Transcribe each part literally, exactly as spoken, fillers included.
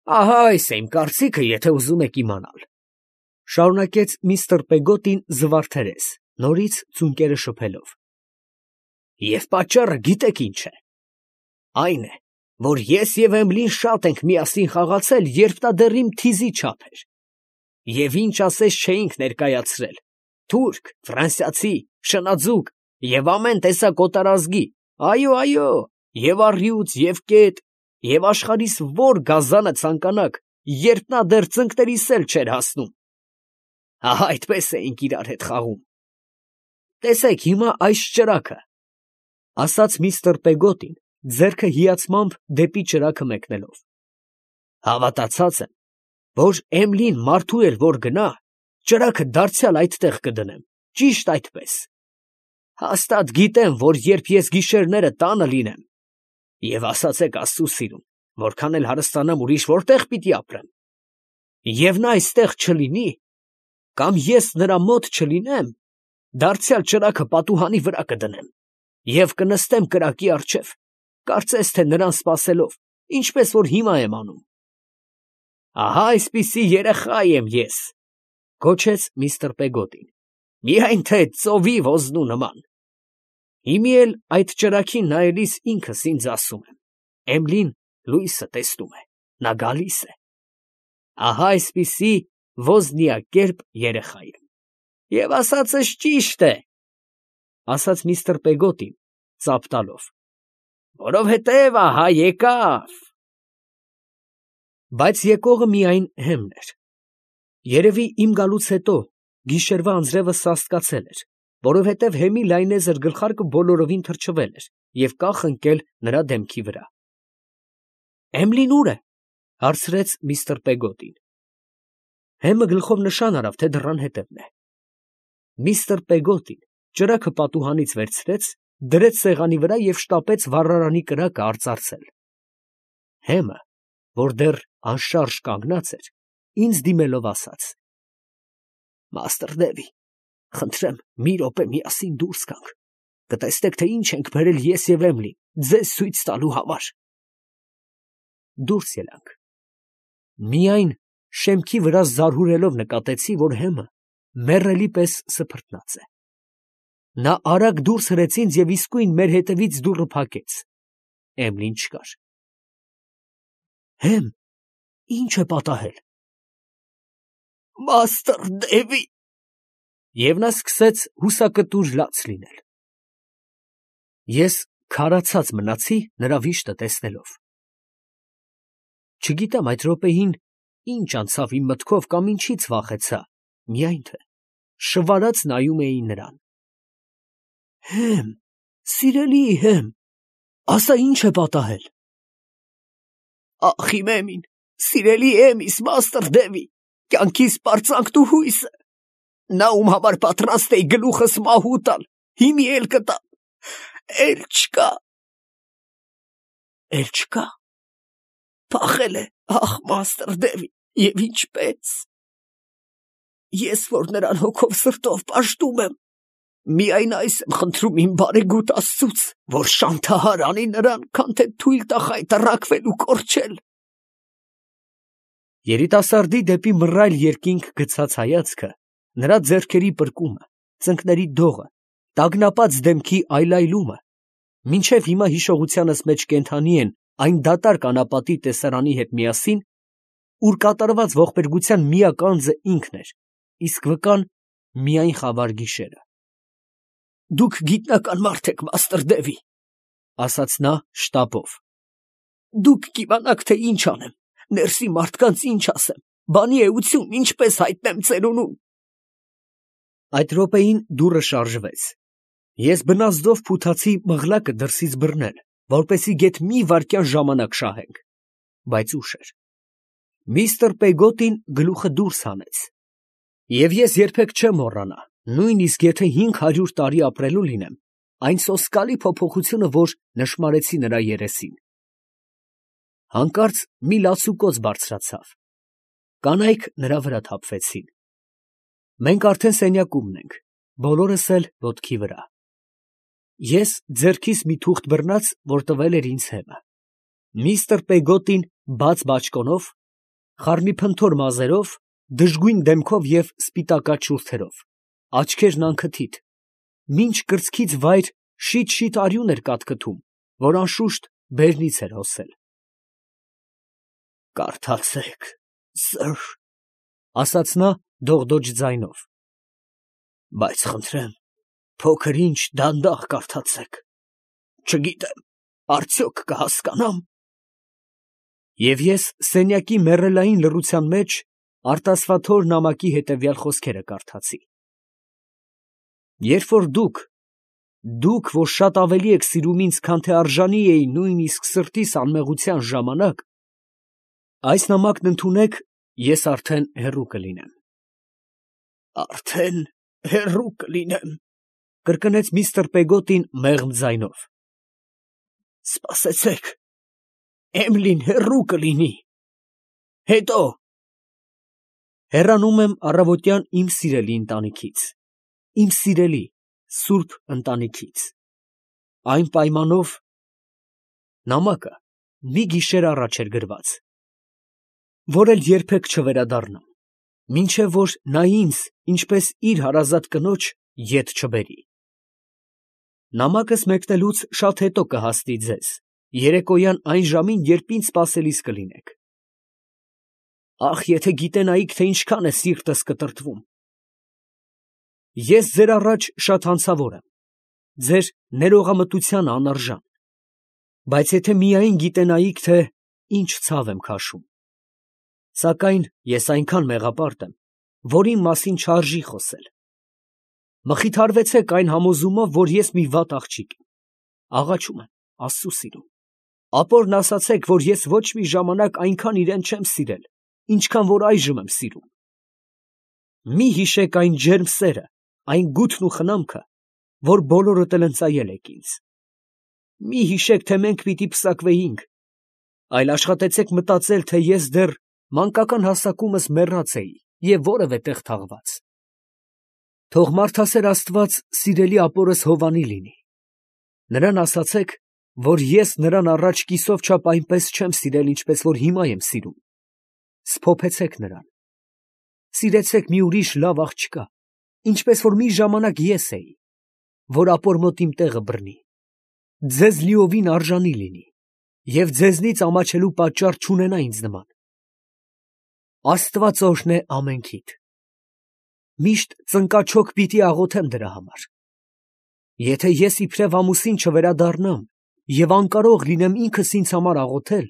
Ահա այս է իմ կարծիքը, եթե ուզում եք իմանալ, ֊ շարունակեց միստր Պեգոտին զվարթերես, նորից ծունկերը շփելով։ Եվ պատճառը գիտեք ինչ է. այն է, որ ես և Էմլին շատ ենք միասին խաղացել, երբ նա դեռ իմ թիզի չափ էր, և ինչ ասես չէինք ներկայացրել, թուրք, ֆրանսիացի, շնաձուկ և ամեն տեսակ օտարազգի, այո, այո, և առյուծ, և կետ, և աշխարհիս որ գազանը ցանկանաք, երբ նա դեռ ծնկներիս էլ չէր հասնում, ահա այդպես էինք իրար հետ խաղում։ Տեսեք հիմա այս ճրագը, ֊ ասաց միստր Պեգոտին, ձեռքը հիացմամբ դեպի ճրագը մեկնելով, ֊ հավատացած եմ, որ Էմլին մարդու էլ որ գնա, ճրագը դարձյալ այդտեղ կդնեմ, ճիշտ այդպես. հաստատ գիտեմ, որ երբ ես գիշերները տանը լինեմ, և ասացեք աստծու սիրուն, որքան էլ հարստանամ, ուրիշ որտե՞ղ պիտի ապրեմ, և նա այստեղ չլինի, կամ ես նրա մոտ չլինեմ, դարձյալ ճրագը պատուհանի վրա կդնեմ և կնստեմ կրակի առջև, կարծես թե նրան սպասելով, ինչպես որ հիմա եմ անում։ Ահա այսպիսի երեխա եմ ես, ֊ գոչեց միստր Պեգոտին, միայն թե ծովի ոզնու նման։ Հիմի էլ այդ ճրագին նայելիս ինքս ինձ ասում եմ. Էմլին լույսը տեսնում է, նա գալիս է։ Ահա այսպիսի ոզնիակերպ երեխա եմ։ Եվ ասածս ճիշտ է, ֊ ասաց միստր Պեգոտին, ծափ տալով, ֊ որովհետև ահա եկավ։ Բայց եկողը միայն Հեմն էր։ Երևի իմ գալուց հետո գիշերվա անձրևը սաստկացել էր, որովհետև Հեմի լայնեզր գլխարկը բոլորովին թրջվել էր և կախ ընկել նրա դեմքի վրա։ Էմլին ո՞ւր է, ֊ հարցրեց միստր Պեգոտին։ Հեմը գլխով նշան արավ, թե դռան հետևն է։ Միստր Պեգոտին ճրագը պատուհանից վերցրեց, դրեց սեղանի վրա և շտապեց վառարանի կրակը արծարծել։ Հեմը, որ դեռ անշարժ կանգնած էր, ինձ դիմելով ասաց. Մաստր Դևի, խնդրեմ մի րոպե միասին դուրս գանք, կտեսնեք, թե ինչ ենք բերել ես և Էմլին ձեզ ցույց տալու համար։ Դուրս ելանք։ Միայն շեմքի վրա զարհուրելով նկատեցի, որ Հեմը մեռելի պես սփռտնած է։ Նա արագ դուրս հրեց ինձ և իսկույն մեր հետևից դուռը փակեց։ Էմլին չկար։ Հեմ, ի՞նչ է պատահել։ Մաստր Դևի… Եվ նա սկսեց հուսակտուր լաց լինել։ Ես քարացած մնացի նրա վիշտը տեսնելով։ Չգիտեմ այդ րոպեին ինչ անցավ իմ մտքով կամ ինչից վախեցա, միայն թե շվարած նայում էի նրան։ Հեմ, սիրելի Հեմ, ասա ինչ է պատահել։ Ախ իմ Էմին, սիրելի Էմիս, մաստր Դևի, կյանքիս պարծանքն ու հույսը, նա ում համար պատրաստ էի գլուխս մահու տալ, հիմի էլ կտամ, էլ չկա։ Էլ չկա։ Փախել է, ախ մաստր Դևի, և ինչպե՞ս։ Ես որ նրան հոգով սրտով պաշտում եմ, միայն այս եմ խնդրում իմ բարեգութ Աստծուց, որ շանթահար անի նրան, քան թե թույլ տա խայտառակվել ու կորչել։ Երիտասարդի դեպի մռայլ երկինք գցած հայացքը, նրա ձեռքերի պրկումը, ծնկների դողը, տագնապած դեմքի այլայլումը, մինչև հիմա հիշողությանս մեջ կենդանի են այն դատարկ անապատի տեսարանի հետ միասին, ուր կատարված ողբերգության միակ անձը ինքն էր, իսկ վկան միայն խավար գիշերը։ Դուք գիտնական մարդ եք, մաստր Դևի, ֊ ասաց նա շտապով։ Դուք կիմանաք, թե ինչ անեմ, ներսի մարդկանց ինչ ասեմ, բանի էություն ինչպես հայտնեմ ծերունուն։ Այդ րոպեին դուռը շարժվեց։ Ես բնազդով փութացի մղլակը դրսից բռնել, որպեսզի գեթ մի վայրկյան ժամանակ շահենք, բայց ուշ էր։ Միստր Պեգոտին գլուխը դուրս հանեց, և ես երբեք չեմ մոռանա, նույնիսկ եթե հինգ հարյուր տարի ապրելու լինեմ, այն սոսկալի փոփոխությունը, որ նշմարեցի նրա երեսին։ Հանկարծ մի լացուկոծ բարձրացավ։ Կանայք նրա վրա թափվեցին։ Մենք արդեն սենյակումն ենք, բոլորս էլ ոտքի վրա։ Ես ձեռքիս մի թուղթ բռնած, որ տվել էր ինձ Հեմը։ Միստր Պեգոտին բաց բաճկոնով խառնիփնթոր մազերով, դժգույն դեմքով և սպիտակած շուրթերով, աչքերն անքթիթ, մինչ կրծքից վայր շիթ֊շիթ արյուն էր կատկթում, որ անշուշտ բերնից էր հոսել։ «Կարդացե՛ք, սըր, ֊ ասաց նա դողդոջ ձայնով, ֊ բայց խնդրեմ, փոքր ինչ դանդաղ կարդացեք, չգիտեմ, արդյոք կհասկանա՞մ»։ Եվ ես սենյակի մեռելային լռության մեջ արտասվաթոր նամակի հետևյալ խոսքերը կարդացի. «Երբ որ դուք, դուք, որ շատ ավելի եք սիրում ինձ, քան թե արժանի էի նույնիսկ սրտիս անմեղության ժամանակ, այս նամակն ընդունեք, ես արդեն հեռու կլինեմ»։ «Արդեն հեռու կլինեմ», ֊ կրկնեց միստր Պեգոտին մեղմ ձայնով։ «Սպասեցեք, Էմիլին հեռու կլինի, հետո…» Հեռանում եմ առավոտյան իմ սիրելի ընտանիքից, իմ սիրելի սուրբ ընտանիքից, այն պայմանով… Նամակը մի գիշեր առաջ էր գրված, որ էլ երբեք չվերադառնամ, մինչև որ նա ինձ, ինչպես իր հարազատ կնոջ, ետ չբերի։ Նամակս մեկնելուց շատ հետո կհասնի ձեզ, երեկոյան այն ժամին, երբ ինձ սպասելիս կլինեք։ Ախ, եթե գիտենայիք, թե ինչքան է սիրտս կտրտվում։ Ես ձեր առաջ շատ հանցավոր եմ, ձեր ներողամտությանը անարժան, բայց եթե միայն գիտենայիք, թե ինչ ցավ եմ քաշում։ Սակայն ես այնքան մեղապարտ եմ, որ իմ մասին չարժի խոսել։ Մխիթարվեցեք այն համոզումով, որ ես մի վատ աղջիկ եմ, աղաչում եմ Աստծու սիրուն։ Ապորն ասացեք, որ ես ոչ մի ժամանակ այնքան իրան չեմ սիրել, ինչքան որ այժմ եմ սիրում։ Մի հիշեք այն ջերմ սերը, այն գութն ու խնամքը, որ բոլորդ էլ ընծայել եք ինձ։ Մի հիշեք, թե մենք պիտի պսակվեինք, այլ աշխատեցեք մտածել, թե ես դեռ մանկական հասակումս մեռած էի և որևէ տեղ թաղված։ Թող մարդասեր Աստված սիրելի ապորս Հովանի լինի։ Նրան ասացեք, որ ես նրան առաջ կիսով չափ այնպես չեմ սիրել, ինչպես որ հիմա եմ սիրում։ Սփոփեցեք նրան։ Սիրեցեք մի ուրիշ լավ աղջկա, ինչպես որ մի ժամանակ ես էի, որ ապոր մոտ իմ տեղը բռնի, ձեզ լիովին արժանի լինի և ձեզնից ամաչելու պատճառ չունենա ինձ նման։ Աստված օրհնե ամենքիդ։ Միշտ ծնկաչոք պիտի աղոթեմ դրա համար։ Եթե ես իբրև ամուսին չվերադառնամ և անկարող լինեմ ինքս ինձ համար աղոթել,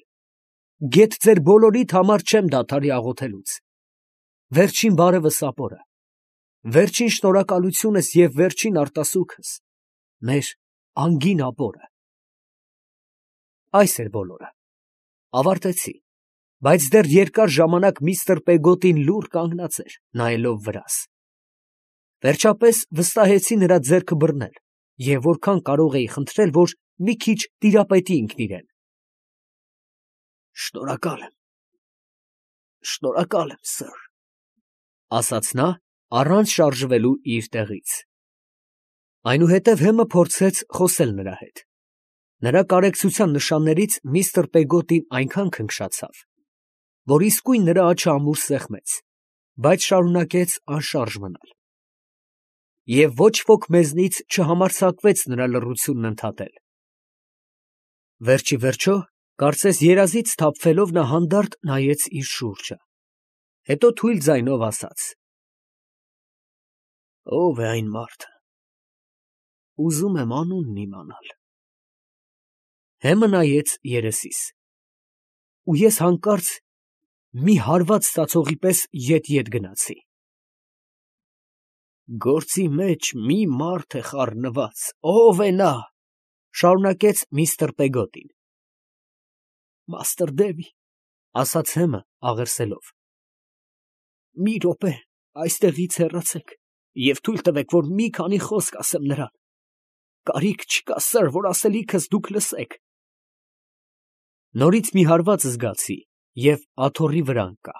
գեթ ձեր բոլորիդ համար չեմ դադարի աղոթելուց։ Վերջին բարևս ապորը, վերջին շնորհակալությունս և վերջին արտասուքս, մեր անգին ապորը։ Այս էր բոլորը, ավարտեցի, բայց դեռ երկար ժամանակ միստր Պեգոտին լուռ կանգնած էր, նայելով վրաս։ Վերջապես վստահեցի նրա ձեռքը բռնել և որքան կարող էի խնդրել, որ մի քիչ տիրապետի ինքն իրան։ «Շնորհակալ եմ, շնորհակալ եմ, սըր», ֊ ասաց նա, առանց շարժվելու իր տեղից։ Այնուհետև Հեմը փորձեց խոսել նրա հետ։ Նրա կարեկցության նշաններից միստր Պեգոտին այնքան քնքշացավ, որ իսկույն նրա աջը ամուր սեղմեց, բայց շարունակեց անշարժ մնալ։ Եվ ոչ ոք մեզնից չհամարձակվեց նրա լռությունն ընդհատել։ Վերջիվերջո, կարծես երազից սթափվելով, նա հանդարտ նայեց իր շուրջը, հետո թույլ ձայնով ասաց. «Ո՞վ է այն մարդը, ուզում եմ անունն իմանալ»։ Հեմը նայեց երեսիս, ու ես հանկարծ մի հարված ստացողի պես ետ֊ետ գնացի։ «Գործի մեջ մի մարդ է խառնված, ո՞վ է նա», ֊ շարունակեց միստր Պեգոտին։ «Մաստր Դեվի», ֊ ասաց Հեմը աղերսելով, ֊ մի րոպե այստեղից հեռացեք և թույլ տվեք, որ մի քանի խոսք ասեմ նրան. կարիք չկա, սըր, որ ասելիքս դուք լսեք։ Նորից մի հարված զգացի և աթոռի վրա ընկա։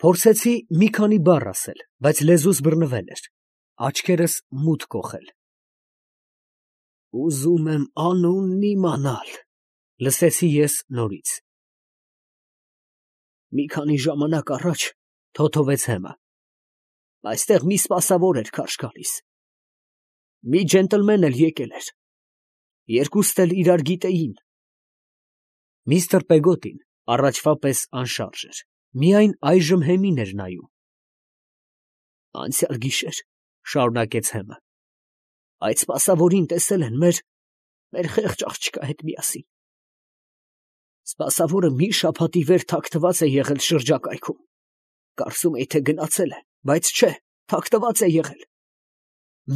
Փորձեցի մի քանի բառ ասել, բայց լեզուս բռնվել էր, աչքերս մութ կոխել։ «Ուզում եմ անունն իմանալ», ֊ լսեցի ես նորից։ Մի քանի ժամանակ առաջ թոթովեց Հեմը։ Այստեղ մի սպասավոր էր քարշ գալիս։ Մի ջենտլմեն էլ եկել էր։ Երկուստ էլ իրար գիտեին։ Միստր Պեգոտին առաջվա պես անշարժ էր, միայն այժմ Հեմին էր նայում։ Անցյալ գիշեր, շարունակեց Հեմը, այդ սպասավորին տեսել են մեր, մեր խեղճ աղջկա հետ միասին։ Սպասավորը մի շաբաթի վեր թաքնված է եղել շրջակայքում։ Կարծում էի, թե գնացել է, բայց չէ, թաքնված է եղել։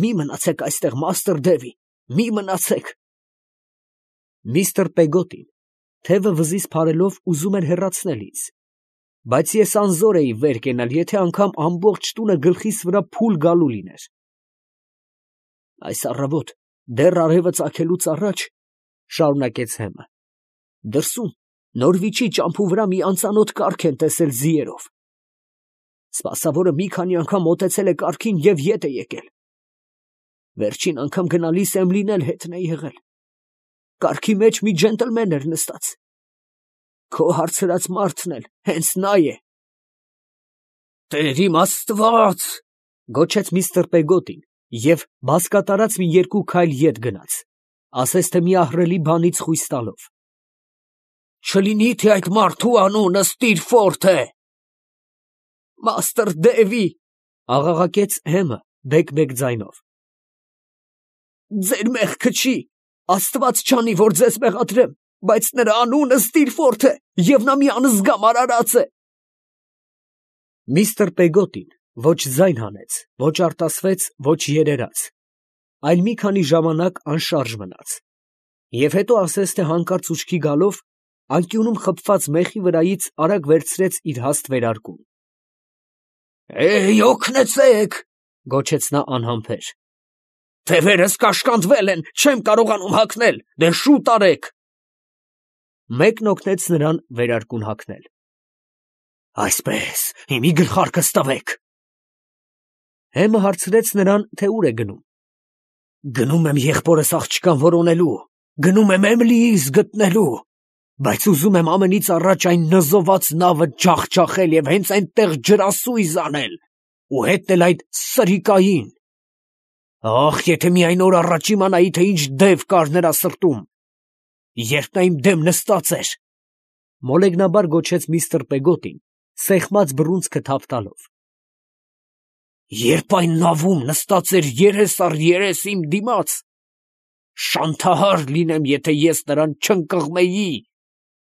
Մի մնացեք այստեղ, մաստր Դևի, մի մնացեք։ Միստր Պեգոտին թևը վզից փարելով ուզում էր հեռացնել ինձ, բայց ես անզոր էի վեր կենալ, եթե անգամ ամբողջ տունը գլխիս վրա փուլ գալու լիներ։ Այս առավոտ, դեռ արևը ծագելուց առաջ, շարունակեց Հեմը, դրսում Նորվիչի ճամփու վրա մի անծանոթ կառք են տեսել ձիերով։ Սպասավորը մի քանի անգամ մոտեցել է կառքին և ետ է եկել։ Վերջին անգամ գնալիս Էմլին էլ հետն է եղել։ Կառքի մեջ մի ջենտլմեն էր նստած։ Քո հարցրած մարդն էլ հենց նա է։ Տեր իմ Աստված, գոչեց միստր Պեգոտին և բազկատարած մի երկու քայլ ետ գնաց, ասես թե մի ահռելի բանից խույս տալով։ Չլինի թե այդ մարդու անունը Ստիրֆորթ է։ Մաստր Դևի, աղաղակեց Հեմը բեկ-բեկ ձայնով։ Ձեր մեղքը չի, Աստված չանի, որ ձեզ մեղադրեմ, բայց նրա անունը Ստիրֆորթ է, և նա մի անզգամ արարած է։ Միստր Պեգոտին ոչ ձայն հանեց, ոչ արտասվեց, ոչ երերաց, այլ մի քանի ժամանակ անշարժ մնաց, և հետո ասես թե հանկարծ ուշքի գալով, անկյունում խփված մեխի վրայից արագ վերցրեց իր հաստ վերարկուն։ Էյ, օգնեցեք, գոչեց նա անհամբեր։ Թևերս կաշկանդվել են, չեմ կարողանում հագնել, դե շուտ արեք։ Մեկն օգնեց նրան վերարկուն հագնել։ Այսպես, իմի գլխարկս տվեք։ Հեմը հարցրեց նրան, թե ուր է գնում։ Գնում եմ եղբորս աղջկան որոնելու, գնում եմ Էմլիիս գտնելու, բայց ուզում եմ ամենից առաջ այն նզոված նավը ջախջախել և հենց այնտեղ ջրասույզ անել, ու հետնել այդ սրիկային։ Ախ, եթե միայն օր առաջ իմանայի, թե ինչ դև կար նրա սրտում, երբ նա իմ դեմ նստած էր, մոլեգնաբար գոչեց միստր Պեգոտին, սեղմած բռունցքը թափ տալով։ Երբ այն նավում նստած էր երես առ երես իմ դիմաց, շանթահար լինեմ, եթե ես նրան չընկղմեի,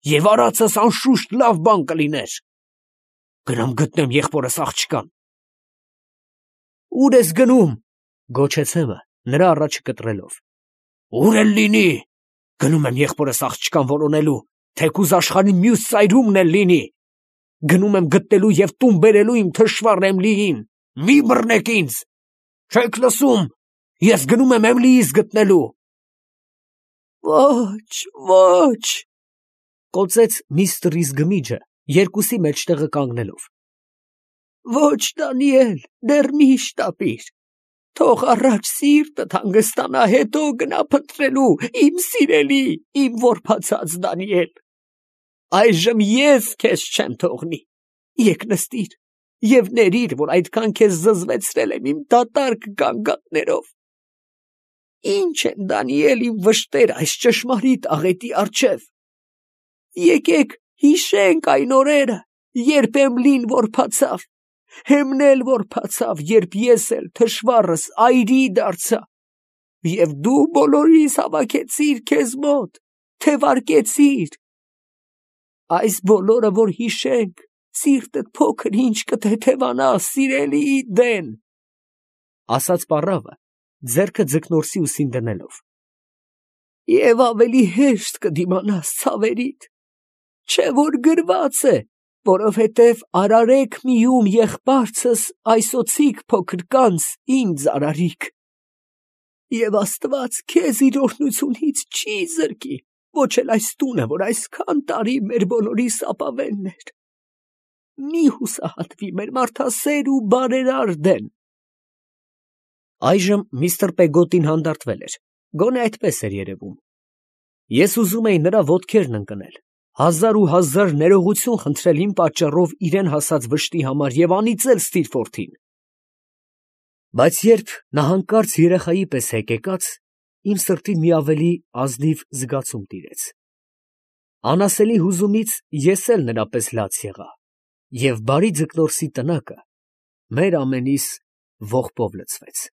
և արածս անշուշտ լավ բան կլիներ։ Գնամ գտնեմ եղբորս աղջկան։ Ուր ես գնում, գոչեց Հեմը, նրա առաջը կտրելով։ Ուր էլ լինի, գնում եմ եղբորս աղջկան որոնելու, թեկուզ աշխարհի մյուս ծայրումն էլ լինի։ Գնում եմ գտնելու և տուն բերելու իմ թշվառ Էմլիին, մի բռնեք ինձ։ Չեք լսում, ես գնում եմ Էմլիիս գտնելու։ Ոչ, ոչ, կոծեց միստր Իզգմիջը, երկուսի մեջտեղը կանգնելով։ Ոչ, Դանիել, դեռ մի շտապիր։ Թող առաջ սիրտդ հանգստանա, հետո գնա փնտրելու, իմ սիրելի, իմ որբացած Դանիել։ Այժմ ես քեզ չեմ թողնի։ Եկ նստիր և ներիր, որ այդքան քեզ զզվեցրել եմ իմ դատարկ գանգատներով։ Ինչ են, Դանիել, իմ վշտերը այս ճշմարիտ աղետի առջև։ Եկեք հիշենք այն օրերը, երբ Էմլին որբացավ, Հեմն էլ որբացավ, երբ ես էլ թշվառս այրի դարձա, և դու բոլորիս հավաքեցիր քեզ մոտ, թևարկեցիր։ Այս բոլորը, որ հիշենք, սիրտդ փոքր ինչ կթեթևանա սիրելիի դեն, ասաց պառավը, ձեռքը ձկնորսի ուսին դնելով, և ավելի հեշտ կդիմանաս ցավերիդ, չէ որ գրված է, որովհետև արարեք միում եղբարցս այսոցիկ փոքր կանց ինձ արարիք։ Եվ Աստված քեզ իր օրհնությունից չի զրկի, ոչ էլ այս տունը, որ այսքան տարի մեր բոլորիս ապավենն էր։ Մի հուսահատվի մեր մարդասեր ու բարերար դեն։ Այժմ միստր Պեգոտին հանդարտվել էր, գոնե այդպես էր երևում։ Ես ուզում էի նրա ոտքերն ընկնել, Հազար ու հազար ներողություն խնդրել իմ պատճառով իրան հասած վշտի համար և անիծել Ստիրֆորթին… Բայց երբ նա հանկարծ երեխայի պես հեկեկաց, իմ սրտին մի ավելի ազնիվ զգացում տիրեց… Անասելի հուզումից ես էլ նրա պես լաց եղա, և բարի Ձկնորսի տնակը մեր ամենիս ողբով լցվեց։